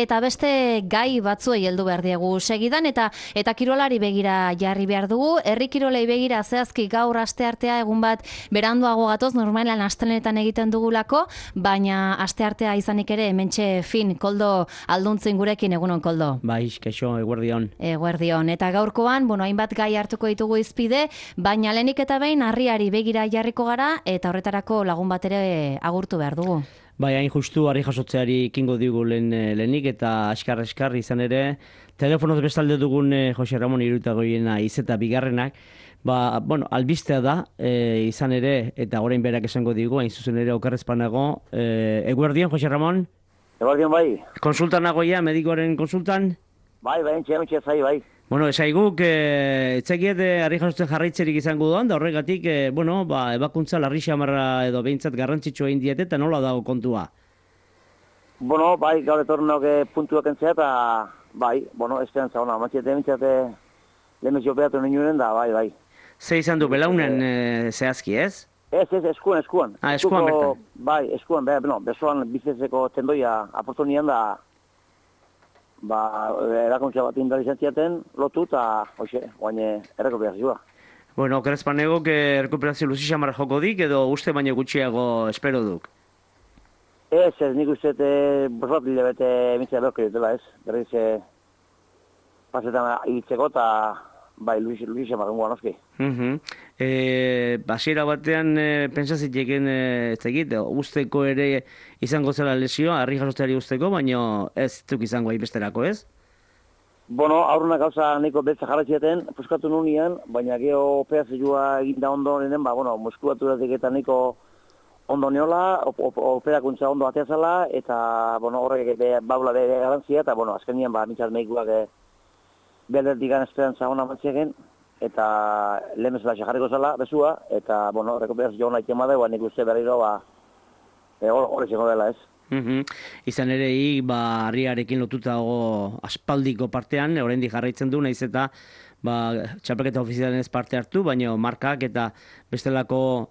Eta beste gai batzuei heldu behar diegu segidan eta kirolari begira jarri behar dugu. Herri kirolei begira zehazki gaur asteartea egun bat beranduago gatoz, normalan astelenetan egiten dugulako, baina asteartea izanik ere hementxe fin Koldo Alduntzin gurekin. Egunon, Koldo. Bai, kaixo, eguerdion. Eguerdion. Eta gaurkoan, hainbat gai hartuko ditugu izpide, baina lehenik eta behin harriari begira jarriko gara eta horretarako lagun bat ere agurtu behar dugu. Bai, hain justu harri jasotzeari kingo digu lehenik eta askar izan ere, telefonoz bestalde dugun Jose Ramon Iruretagoiena izeta bigarrenak, albistea da izan ere, eta orain berak esango digu, hain zuzen ere okerrezpanago. Eguerdion, Jose Ramon? Eguerdion, bai. Konsultan nagoia, medikoaren konsultan? Bai, entxe zai, bai. Esaiguk, etzekiet harri jasotzen jarraitzerik izango duan, da horregatik, ebakuntza larri xamarra edo behintzat garrantzitsua egin diete, eta nola dago kontua? Bai, gaur etornok puntuak entzea, eta bai, esperantza hona, matxete mintzate lemezio beatu ninduren da, bai. Ze izan du, belaunen zehazki, ez? Ez, eskuan. Ah, eskuan bertan. Bai, eskuan, besoan bizezeko tendoia aportu nian da, erakuntza bat indalizantziaten lotu eta, guain errekuperazioa. Okerrezpanegok errekuperazio luzi xamarra joko dik, edo uste baino gutxiago espero duk? Ez, nik uste bosbat hilabete mintzea behorko dutela, ez? Berriz, pasetan ibiltzeko eta, bai, luzi xamarra guan oski. Basiera batean pentsaziteken usteko ere izango zela lesioa, harri jasotzeari usteko, baina ez duk izango besterako, ez? Aurruna gauza nahiko beltza jarratziaten, puskatu nunean, baina geho operazioa eginda ondo nenen, muskulaturatik eta nahiko ondo neola, operakuntza ondo ateazala, eta horrek baula bere garantzia, eta azkenian mintzat mehikuak berderdik gan esperantza hona mantziaken, eta lemezela jarriko zela, bezua, eta, rekuperazio hona ikema da, nik uste berriro, hori zengo dela, ez. Izan ere, harriarekin lotutago aspaldiko partean, oraindik jarraitzen du, naiz eta txapelketa ofizialen ez parte hartu, baina markak eta bestelako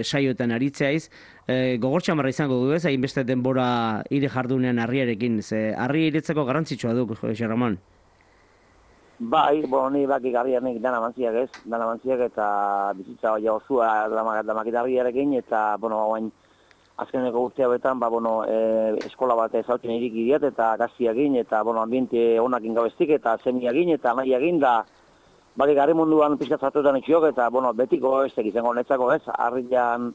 saioetan aritzeiz, gogortxamarra izango du ez, hainbeste denbora ire jardunean harriarekin, ze harri iretzeko garrantzitsua du, Jose Ramon. Bai, ni bakik harrianek dana mantziak ez, eta bizitza osua damakit harriarekin, eta, guain, azkeneko urte hauetan, eskola bat ezautzen irik idiat, eta gaztiagin, eta, ambiente onakin gabeztik, eta semiagin, eta nahiagin, da, bakik harri munduan pizkatzatuetan etxiok, eta, betiko ez izango netzako ez, harrian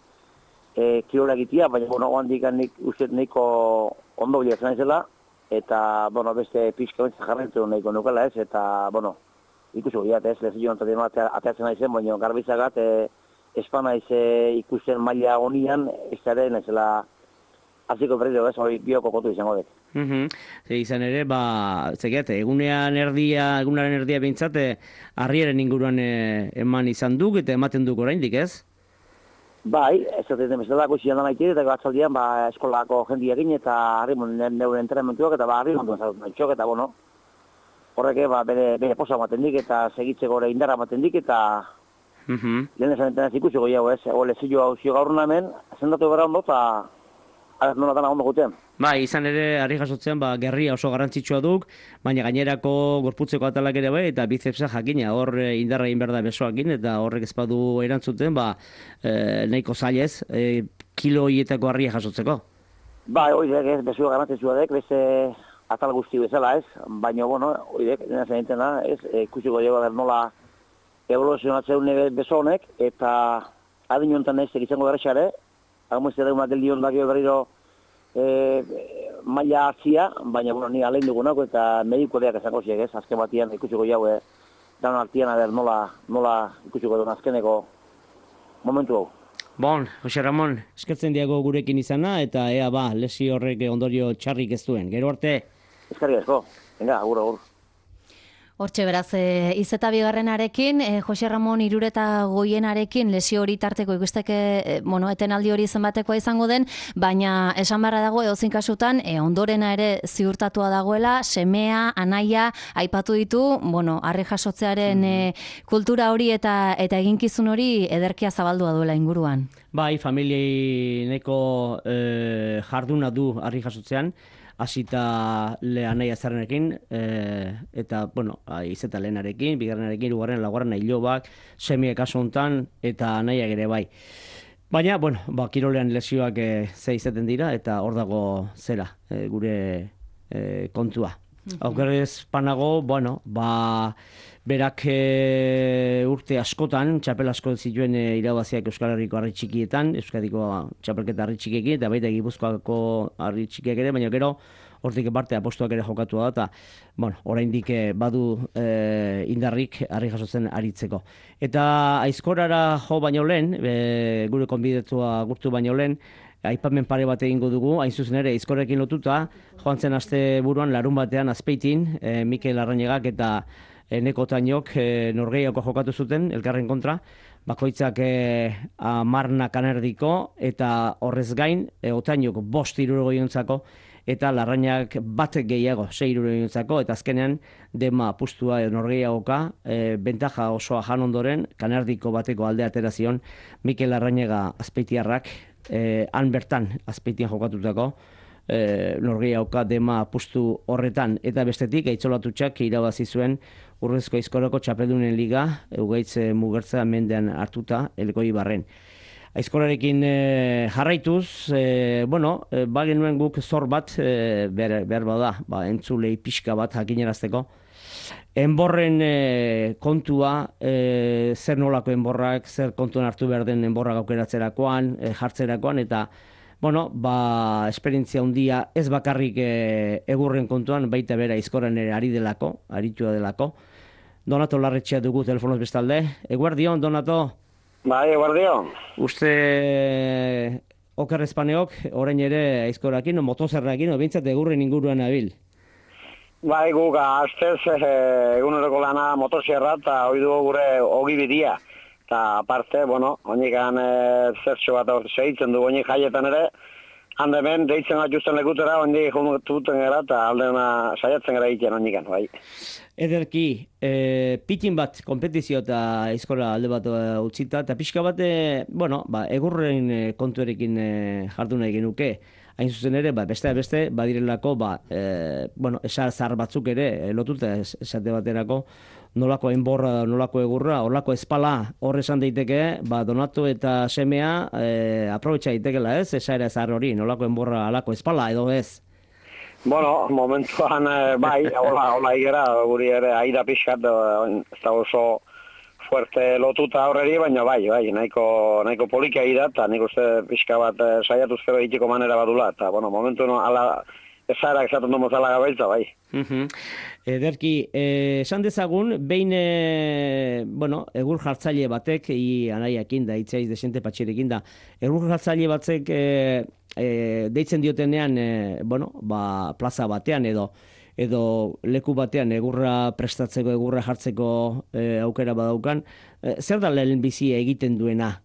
kirola egitea, baina, oandik nik uste nahiko ondo bilatzen naizela, eta, beste pizka bentsa jarraitu nahiko nukela ez, eta, ikusi bilat ez, lezio antatzen ateatzen naizen, baina garbizagat, espana ikusten maila honian, ez ere, nezela, aziko berriro ez, hori bioko kontu izango dut. Izan ere, egunaren erdia behintzat, harriaren inguruan eman izan duk, eta ematen duk oraindik, ez? Bai, ez dut bezala guztian da maitir, eta batzaldian eskolako jendiakin, eta harri neure entrenamentuak, eta harri munduan zartu txok, eta horreke bere posa maten dik, eta segitzeko ere indarra maten dik, eta lehen esan entenaz ikusiko jau ez, lezio hau zio gaur namen, zendatu gara ondo, eta nolatan ondo guten. Izan ere, harri jasotzean, gerria oso garrantzitsua duk, baina gainerako gorputzeko atalak ere bai, eta bizepsa jakina, hor indarra egin behar da besoakin, eta horrek ezpadu erantzuten, nahiko zailez, kilo hietako harria jasotzeko. Horiek ez, besua garrantzitsua dek, beste atal guzti bezala ez, baina, horiek, nena zen entena, ez, ikusiko jau nola evoluzionatzen beso honek, eta adin honetan ez izango berrexare, agumezte dugunak geldion dakio berriro maila hartzia, baina ni alein dugunako eta mediko deak esango ziek ez, azken batian ikusiko jau daun hartian nola ikusiko duen azkeneko momentu hau. Jose Ramon, eskertzen diago gurekin izana, eta ea lesio horrek ondorio txarrik ez duen. Gero arte? Eskerrik asko, venga, agur. Hortxe beraz, izeta bigarrenarekin, Jose Ramon Iruretagoienarekin lesio hori tarteko ikusteke, etenaldi hori zenbatekoa izango den, baina esan barra dago edozein kasutan, ondorena ere ziurtatua dagoela, semea, anaia, aipatu ditu, harri jasotzearen kultura hori eta eginkizun hori ederkia zabaldua duela inguruan. Familiei neko jarduna du harri jasotzean, hasita anai azarrenekin, eta, bueno, izeta lehenarekin, bigarrenarekin, hirugarren, laugarren, ilobak, semiek kasu hontan, eta anaiak ere bai. Baina, bueno, kirolean lesioak ze izaten dira, eta hor dago zera, gure kontua. Aukerrez panago, bueno, berak urte askotan, txapel asko zituen irabaziak Euskal Herriko harri txikietan, Euskadiko txapelketa harri txikiekin, eta baita Gipuzkoako harri txikiek ere, baina gero, hortik parte apostuak ere jokatu da, eta, bueno, oraindik badu indarrik harri jasotzen aritzeko. Eta aizkorara jo baino lehen, gure konbidetua gurtu baino lehen, aipamen pare bat egingo dugu, hain zuzen ere aizkorrekin lotuta, joan zen aste buruan larun batean Azpeitin, Mikel Arrañegak eta Eneko Tainok norgehiako jokatu zuten, elkarren kontra, bakoitzak 10 kanerdiko, eta horrez gain, Otainok 5 eta Larrañak bat gehiago, 6 eta azkenean dema apustua norgehiagoka, bentaja osoa jan ondoren, kanerdiko bateko alde atera zion, Mikel Arrañega Azpeitiarrak, han bertan Azpeitian jokatutako, norgehiagoka dema apustu horretan, eta bestetik Aitzolatutxak irabazi zuen Urrezko Aizkorako txapeldunen liga, Egugaitz Mugertza mendean hartuta, Elgoi Barren. Aizkorarekin jarraituz, bagenuen guk zor bat, behar bada, entzulei pixka bat jakinerazteko. Enborren kontua, zer nolako enborrak, zer kontuan hartu behar den enborrak aukeratzerakoan, jartzerakoan, eta esperientzia handia ez bakarrik egurren kontuan, baita bera Aizkoran ere aritua delako. Donato Larretxea dugu telefonoz bestalde. Eguerdion, Donato? Bai, eguerdion. Uste Oker Espaneok, orain ere Aizkorakin, motozerrakin, bintzat egurren inguruan abil. Bai, guk astez eguneroko lana motozerra eta hori dugu gure ogibidia. Eta aparte, honikan zertxo bat segitzen du, honik jaietan ere, handemen deitzen bat justen lekutera, honik jonututen gara eta aldena saiatzen gara egiten honikan, bai. Ederki, pitin bat kompetizio eta Aizkora alde bat utzita, eta pixka bat, egurren kontuerekin jardun nahi genuke. Hain zuzen ere, beste badirelako, esar zahar batzuk ere, lotuta esate baterako, nolako enborra, nolako egurra, nolako espala hor esan daiteke, Donato eta semea aprobetxa daitekela ez, esaera zahar hori, nolako enborra, alako espala edo ez? Momentuan, hola igera, guri ere aida pixkat, ez da oso fuerte lotuta horreri, baina bai, nahiko poliki aida, eta nik uste pixka bat saiatuzkero egiteko manera badula, eta momentu ezara esaten du mozala gabaitza, bai. Ederki, esan dezagun, behin, egur jartzaile batek, anaiakin da, itzaiz desente patxirekin da, egur jartzaile batek deitzen diotenean, plaza batean edo leku batean egurra prestatzeko, egurra jartzeko aukera badaukan, zer da lehen bizi egiten duena?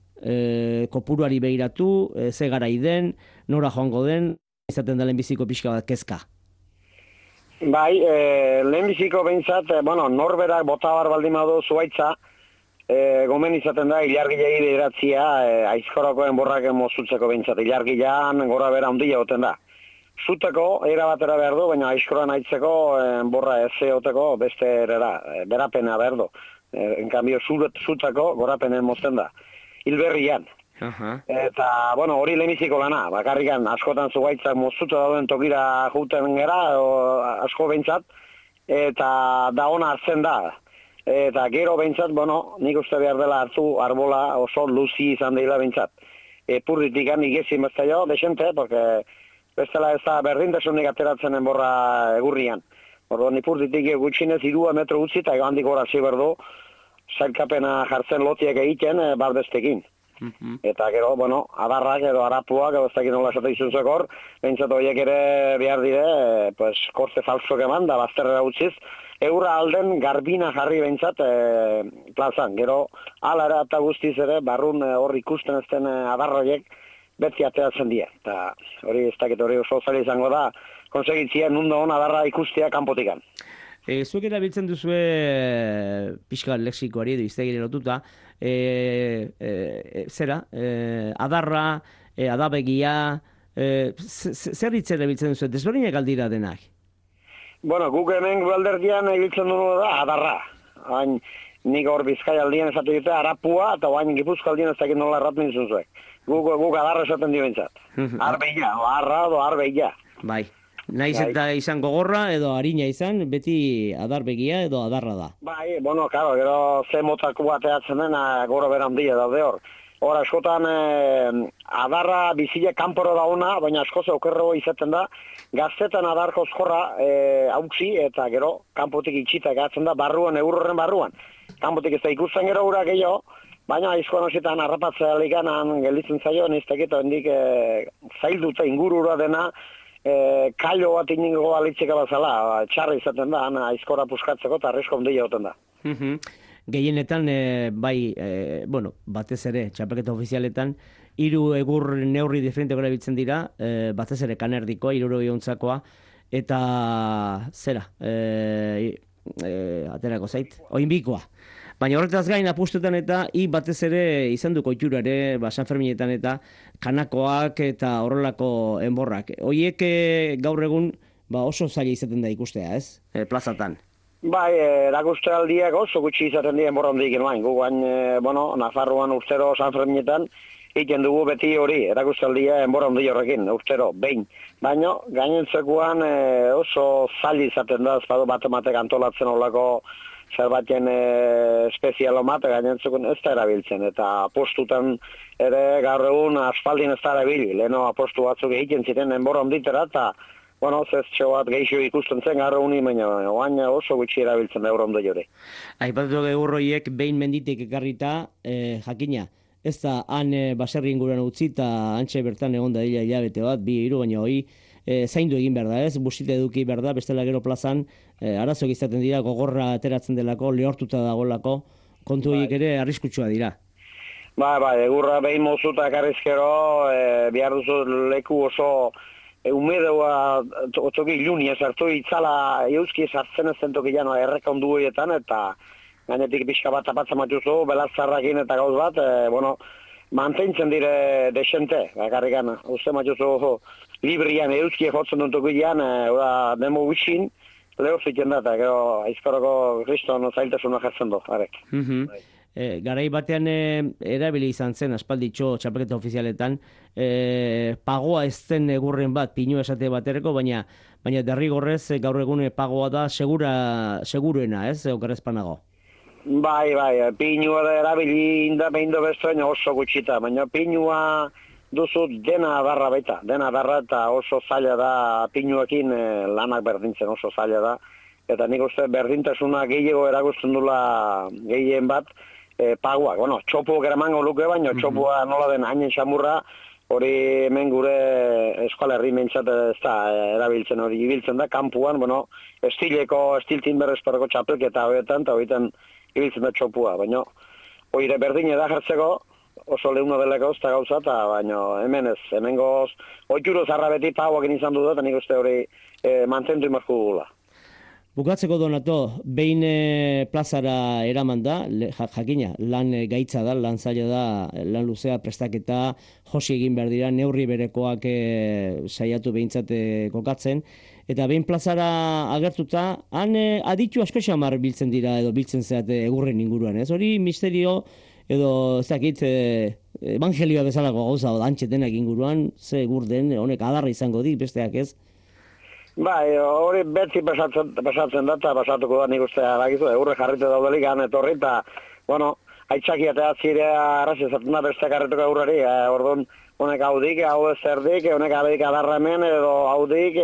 Kopuruari behiratu, ze garai den, nora joango den, izaten da lehenbiziko pixka bat kezka? Bai, lehenbiziko behintzat, norberak botabar baldin badu zuaitza, gomen izaten da ilargilei bideratzia Aizkorako enborrak mozutzeko behintzat, ilargilean gora bera handia goten da. Zuteko, era batera behar du, baina Aizkoran aitzeko enborra ez eoteko beste berapena behar du. Enkambio, zutako gorapenen mozten da. Hilberrian. Eta, hori lehenbiziko lana, bakarrikan askotan zuaitzak mozuta dauden tokira juten gera, asko behintzat, eta da ona hartzen da. Eta gero behintzat, nik uste behar dela hartu arbola oso luzi izan dela behintzat. Epurritikan igezin bezta jo, desente, porque bestela ez da berdintasunik ateratzen enborra egurrian. Orduan ipurritik gutxinez 2 metro utzi eta handik gora ziberdu, zailkapena jartzen lotiek egiten barbestekin. Eta gero, adarrak edo arapuak, edo ez dakit nola esate izuzek hor, behintzat horiek ere behar dire, korte falsok eman, da bazterrera utziz, eurra alden garbina jarri behintzat plazan. Gero, alara eta guztiz ere, barrun hor ikusten ezten adarroiek beti ateratzen dira. Eta hori ez dakit hori oso zaila izango da, konsegitzia nundo hon adarra ikustea kanpotikan. Zuek erabiltzen duzue pixka lexikoari edo iztegire lotuta, adarra, adabegia, zer hitzen erabiltzen duzu, desberdinak aldira denak? Bueno, guk hemen alderdian egiltzen dugu da, adarra. Hain, nik hor Bizkaia aldien esate dute, arapua, eta hain Gipuzko aldien ez dakit nola erratzen zuzuek. Guk adarra esaten dio bintzat. Arbeia, o arra, o arbeia. Bai. Naiz eta izan gogorra edo harina izan, beti adarbegia edo adarra da. Bai, bueno, karo, gero ze motako bateatzen dena gora beran handia daude hor. Hor, askotan adarra bizile kanporo dauna, baina askoz okerrego izaten da, gaztetan adarko zkorra hautsi eta gero kanpotik itxita gatzen da barruan, eurorren barruan. Kanpotik ez da ikusten gero ura gehiago, baina aizkoan hosietan harrapatzea likanan gelditzen zaio, nizteketa hendik zailduta ingurura dena, kailo bat iningo alitzeka bazala, txarra izaten da, aizkora puskatzeko eta arresko ondia goten da. Gehienetan, bueno, batez ere, txapelketa ofizialetan, 3 egur neurri diferenteko erabiltzen dira, batez ere kanerdikoa, 60 eta zera, aterako zait, oinbikoa. Baina horretaz gain apustetan eta batez ere izan du koitura ere, San Ferminetan eta kanakoak eta horrelako enborrak. Hoiek gaur egun oso zaila izaten da ikustea, ez? Plazatan. Bai, erakustealdiak oso gutxi izaten dira enborra hondik inoain. Gugan, Nafarroan urtero San Ferminetan egiten dugu beti hori, erakustealdia enborra hondik horrekin, urtero, behin. Baina, gainentzekoan oso zaila izaten da, ez badu batematek antolatzen olako zerbaiten espezialo bat, gainentzukun ez da erabiltzen, eta apostutan ere gaur egun asfaldin ez da erabili, leheno apostu batzuk egiten ziren enborra onditera, eta bueno, zeztxo bat gehiago ikusten zen gaur egun baina oain oso gutxi erabiltzen da eurrondo jore. Aipatu egurroiek behin menditik ekarrita, jakina, ez da han baserri inguruan utzi eta antxe bertan egon da dila hilabete bat, 2-3, baina hoi zaindu egin behar da, ez? Busite eduki behar da, bestela gero plazan arazoak izaten dira, gogorra ateratzen delako, lehortuta dagolako, kontu horiek ere arriskutsua dira. Bai, egurra behin mozuta ekarrizkero, behar duzu leku oso umedeua toki iluni ezartu itzala euski esartzen ezen toki janoa erreka ondu horietan, eta gainetik pixka bat tapatzen matuzu, belazarrakin eta gauz bat, mantentzen dire desente, bakarrikan, uste matuzu librian euski jotzen dut toki jan, demo gutxin, lehor ziken da, eta gero aizkoroko kriston zailtasuna jartzen du, arek. Garai batean erabili izan zen aspalditxo txapelketa ofizialetan, pagoa ez zen egurren bat, pinu esate batereko, baina derrigorrez gaur egun pagoa da seguruena, ez, okerrezpanago? Bai, pinua da erabili inda behin do bestoen oso gutxita, baina pinua duzu dena adarra baita, eta oso zaila da pinuekin lanak berdintzen oso zaila da, eta nik uste berdintasuna gehiago erakusten dula gehien bat, paguak, bueno, txopuak eramango luke, baina txopua nola den hainen xamurra, hori hemen gure eskola herri mentzat ez da erabiltzen hori ibiltzen da, kanpuan, bueno, estiltin berrezparako txapelketa horietan, eta horietan ibiltzen da txopua, baina hori berdin da jartzeko, oso lehuna delako ez da gauza, baina hemen ez, hemen goz, oituro zarra beti paguak izan du da, eta nik uste hori mantentu imarko dugula. Bukatzeko Donato, behin plazara eraman da, jakina, lan gaitza da, lan zaila da, lan luzea prestaketa, josi egin behar dira, neurri berekoak saiatu behintzat kokatzen, eta behin plazara agertuta, han aditu asko xamar biltzen dira, edo biltzen zeate egurren inguruan, ez? Hori misterio, edo ez dakit, evangelioa bezalako gauza, antxetenak inguruan, ze egur den, honek adarra izango dik, besteak ez? Bai, hori beti pasatzen da, eta pasatuko da nik uste aragizu, eurre jarrite daudelik han etorri, eta, bueno, aitzaki eta zirea arrazi ezaten da beste karretuko eurrari, orduan, honek haudik, hau ez erdik, honek abedik adarra hemen, edo haudik,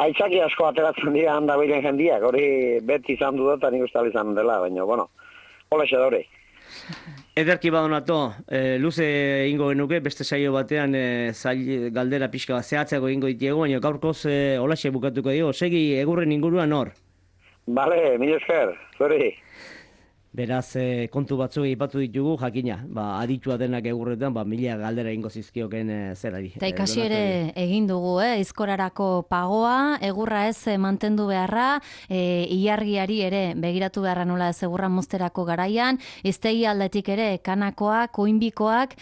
aitzaki asko ateratzen dira handabilen jendiak, hori beti izan du da, eta nik uste izan dela, baina, bueno, hola xe hori. Ederki Donato, luze ingo genuke, beste saio batean galdera pixka bat zehatzago ingo ditiego, baina gaurkoz holaxe bukatuko dio, segi egurren inguruan hor. Bale, mil esker, zuri. Beraz, kontu batzuk aipatu ditugu, jakina, aditua denak egurretan, mila galdera ingo zizkioken zerari. Eta ikasi ere egin dugu, izkorarako pagoa, egurra ez mantendu beharra, ilargiari ere begiratu beharra nola ez egurra mozterako garaian, iztegi aldetik ere kanakoak, koinbikoak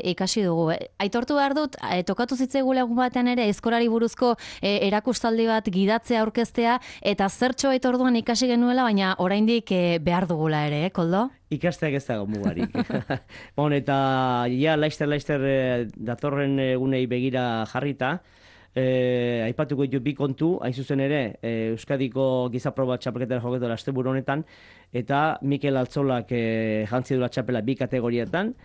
ikasi dugu. Aitortu behar dut, tokatu zitzaigula egun batean ere, izkorari buruzko erakustaldi bat gidatzea aurkeztea, eta zertxo aitorduan ikasi genuela, baina oraindik behar dugula ere, Koldo? Ikasteak ez dago mugarik. Eta ja, laizter datorren egunei begira jarrita, aipatuko ditu bi kontu, hain zuzen ere, Euskadiko gizaproba txapelketara joketu asteburu honetan, eta Mikel Altzolak jantzi duela txapela bi kategorietan,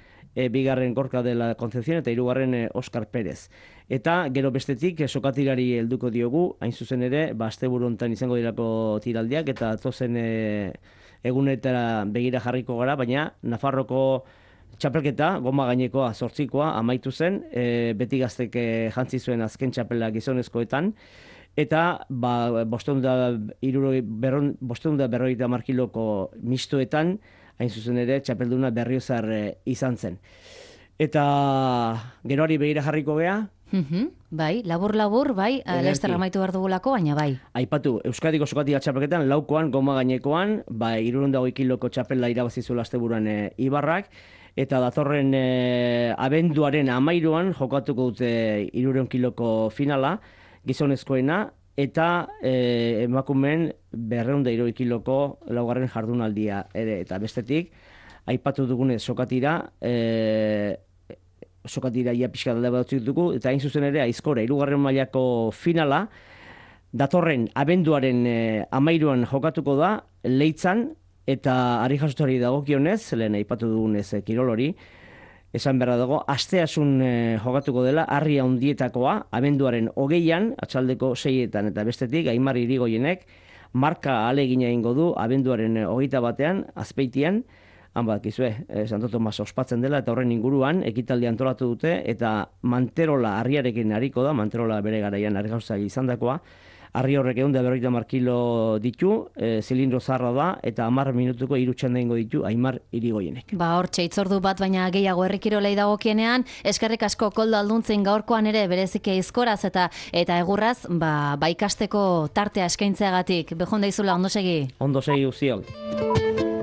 bigarren Gorka dela Concepción eta hirugarren Oscar Pérez. Eta gero bestetik sokatirari helduko diogu, hain zuzen ere, asteburu honetan izango dirako tiraldiak, eta tozen egunetara begira jarriko gara, baina Nafarroko txapelketa, goma gainekoa, 8koa, amaitu zen, beti gaztek jantzi zuen azken txapela gizonezkoetan, eta 550 kiloko mistoetan, hain zuzen ere, txapelduna Berriozar izan zen. Eta geroari begira jarriko gea, Bai, labur, bai, Laster amaitu behar dugulako, baina bai. Aipatu, Euskadiko sokatika txapelketan, laukoan, goma gainekoan, 220 kiloko txapela irabazizuela asteburuan Ibarrak, eta datorren abenduaren 13an jokatuko dute 300 kiloko finala, gizonezkoena, eta emakumeen 260 kiloko laugarren jardunaldia ere, eta bestetik, aipatu dugunez sokatira, ia pixka dalde bat dugu, eta hain zuzen ere, Aizkora, 3. mailako finala, datorren abenduaren 13an jokatuko da, Leitzan, eta ari jasotari dagokionez, lehen aipatu dugunez kirolori, esan berra dago, asteasun jokatuko dela, Harri Handietakoa, abenduaren 20an, atxaldeko 6etan, eta bestetik, Aimar Irigoienek, marka alegina egingo du, abenduaren 21an, Azpeitian, han badakizue, Santo Tomas ospatzen dela, eta horren inguruan, ekitaldi antolatu dute, eta Manterola harriarekin hariko da, Manterola bere garaian harri gauzak izandakoa, harri horrek 150 kilo ditu, zilindro zarra da, eta 10 minutuko 3 txanda ingo ditu Aimar Irigoienek. Hortxe, itzordu bat, baina gehiago herrikirolei dagokienean, eskerrik asko Koldo Alduntzin gaurkoan ere bereziki Aizkoraz eta egurraz, ikasteko tartea eskaintzeagatik. Bejon daizula, ondo segi? Ondo segi uziok.